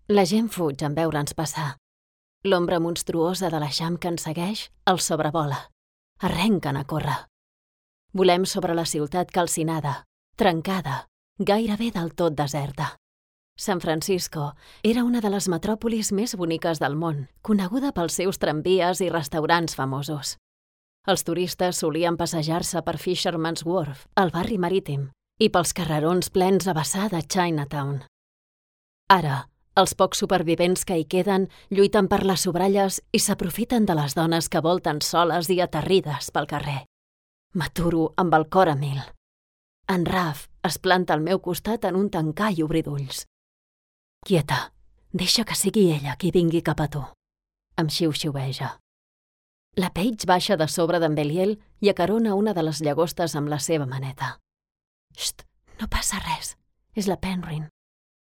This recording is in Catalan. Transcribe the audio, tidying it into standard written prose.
La gent fuig en veure'ns passar. L'ombra monstruosa de l'eixam que ens segueix els sobrevola. Arrenquen a córrer. Volem sobre la ciutat calcinada, trencada, gairebé del tot deserta. San Francisco era una de les metròpolis més boniques del món, coneguda pels seus tramvies i restaurants famosos. Els turistes solien passejar-se per Fisherman's Wharf, el barri marítim, i pels carrerons plens a vessar de Chinatown. Ara, els pocs supervivents que hi queden lluiten per les sobralles i s'aprofiten de les dones que volten soles i aterrides pel carrer. M'aturo amb el cor a mil. En Raf es planta al meu costat en un tancar i obrir d'ulls. Quieta, deixa que sigui ella qui vingui cap a tu. Em xiu-xiueja. La Paige baixa de sobre d'en Belial i acarona una de les llagostes amb la seva maneta. Xt, no passa res, és la Penryn.